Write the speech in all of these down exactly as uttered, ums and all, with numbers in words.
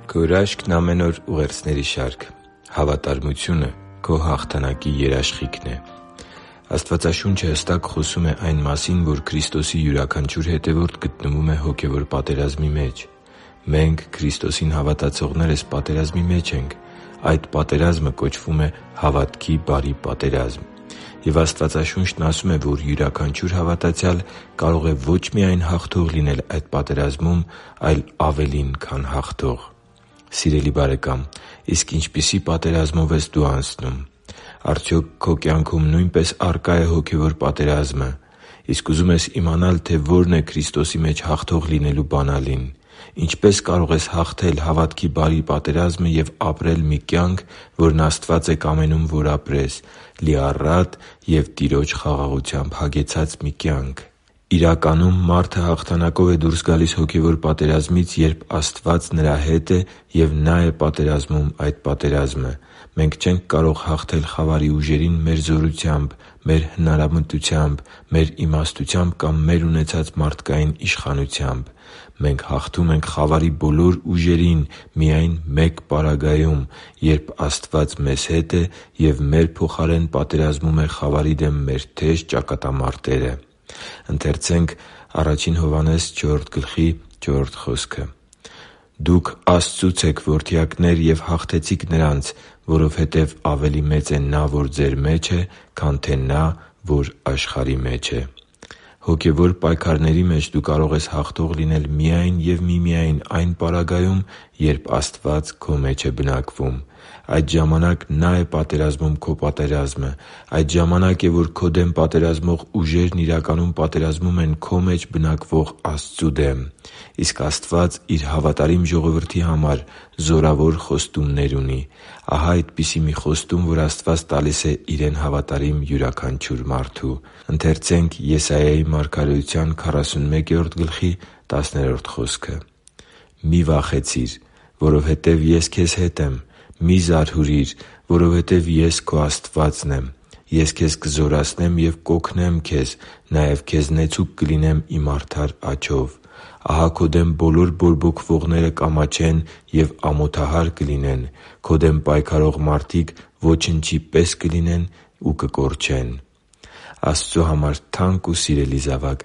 Քո հրաշքն ամեն օր ուղերձների շարք։ Հավատարմությունը քո հաղթանակի երաշխիքն է։ Աստվածաշունչը հստակ խոսում է այն մասին, որ Քրիստոսի յուրաքանչյուր հետևորդ գտնվում է հոգևոր պատերազմի մեջ։ Մենք՝ Քրիստոսին հավատացողներս, պատերազմի մեջ ենք։ Այդ պատերազմը կոչվում է հավատքի բարի պատերազմ։ Եվ Աստվածաշունչն ասում է, որ յուրաքանչյուր հավատացյալ կարող է ոչ միայն հաղթող լինել այդ պատերազմում, այլ ավելին, քան հաղթող։ Սիրելի՛ բարեկամ, իսկ ինչպիսի պատերազմով ես դու անցնում։ Արդյոք քո կյանքում նույնպես առկա՞ է հոգևոր պատերազմը։ Իսկ ուզում ես իմանալ, թե ո՛րն է Քրիստոսի մեջ հաղթող լինելու բանալին։ Ինչպե՞ս կարող ես հաղթել հավատքի բարի պատերազմը և ապրել մի կյանք, որն Աստված է կամենում, որ ապրես՝ լիառատ և Տիրոջ խաղաղությամբ հագեցած մի կյանք։ Իրականում, մարդը հաղթանակով է դուրս գալիս հոգևոր պատերազմից, երբ Աստված նրա հետ է և Նա է պատերազմում այդ պատերազմը։ Մենք չենք կարող հաղթել խավարի ուժերին մեր զորությամբ, մեր հնարամտությամբ, մեր իմաստությամբ կամ մեր ունեցած մարդկային իշխանությամբ։ Մենք հաղթում ենք խավարի բոլոր ուժերին միայն մեկ պարագայում, երբ Աստված մեզ հետ է և մեր փոխարեն պատերազմում է խավարի դեմ մեր թեժ ճակատամարտերը։ «Դուք Աստծուց եք որդյակներ և հաղթեցիք նրանց, որովհետև ավելի մեծ է Նա, որ ձեր մեջ է, քան թե նա, որ աշխարհի մեջ է» (Ա Հովհաննես չորրորդ գլխի չորրորդ խոսքը)։ Հոգևոր պայքարների մեջ դու կարող ես հաղթող լինել միայն և միմիայն այն պարագայում, երբ Աստված քո մեջ է բնակվում։ Այդ ժամանակ Նա է պատերազմում քո պատերազմը։ Այդ ժամանակ է, որ քո դեմ պատերազմող ուժերն իրականում պատերազմում են քո մեջ բնակվող Աստծու դեմ։ Իսկ Աստված Իր հավատարիմ ժողովրդի համար զորավոր խոստումներ ունի։ Ահա այդպիսի մի խոստում, որ Աստված տալիս է Իրեն հավատարիմ յուրաքանչյուր մարդու։ «Մի՛ վախեցիր, որովհետև Ես քեզ հետ եմ. մի՛ զարհուրիր, որովհետև Ես քո Աստվածն եմ։ Ես քեզ կզորացնեմ և կօգնեմ քեզ, նաև քեզ նեցուկ կլինեմ Իմ արդար աջով։ Ահա քո դեմ բոլոր բորբոքվողները կամաչեն և ամոթահար կլինեն. քո դեմ պայքարող մարդիկ ոչնչի պես կլինեն ու կկորչեն» (Եսայիա Աստծու համար թանկ ու սիրելի՛ զավակ,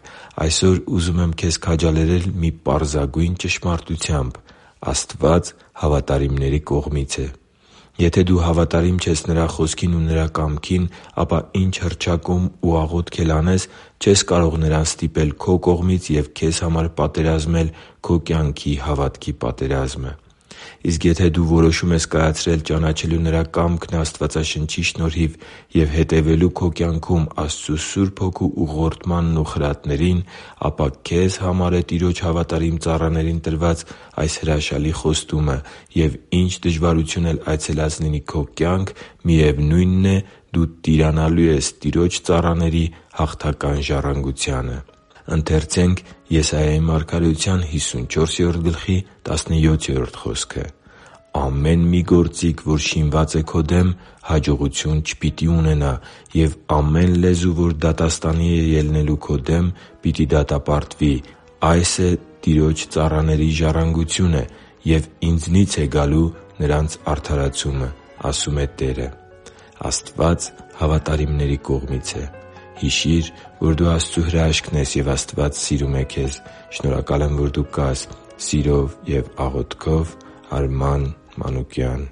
այսօր ուզում եմ քեզ քաջալերել մի պարզագույն ճշմարտությամբ՝ Աստված հավատարիմների կողմից է։ Եթե դու հավատարիմ չես Նրա Խոսքին ու Նրա կամքին, ապա ինչ հռչակում ու աղոթք էլ անես, չես կարող Նրան ստիպել քո կողմից և քեզ համար պատերազմել քո կյանքի հավատքի պատերազմը։ Իսկ եթե դու որոշում ես կայացրել ճանաչելու Նրա կամքն Աստվածաշնչի շնորհիվ և հետևելու քո կյանքում Աստծու Սուրբ Հոգու ուղղորդմանն ու խրատներին, ապա քեզ համար է Տիրոջ հավատարիմ ծառաներին տրված այս հրաշալի խոստումը, և ինչ դժվարություն էլ այցելած լինի քո կյանք, միևնույնն է, դու տիրանալու ես Տիրոջ ծառաների հաղթական ժառանգությանը։ «Ամեն մի գործիք, որ շինված է քո դեմ, հաջողություն չպիտի ունենա, և ամեն լեզու, որ դատաստանի է ելնելու քո դեմ, պիտի դատապարտվի։ Այս է Տիրոջ ծառաների ժառանգությունը, և Ինձնից է գալու նրանց արդարացումը, ասում է Տերը» (Եսայիա Աստված հավատարիմների կողմից է։ Հիշի՛ր, որ դու Աստծո հրաշքն ես, և Աստված սիրում է քեզ։ Շնորհակալ եմ, որ դու կա՛ս։ Սիրով և աղոթքով, Արման Մանուկյան։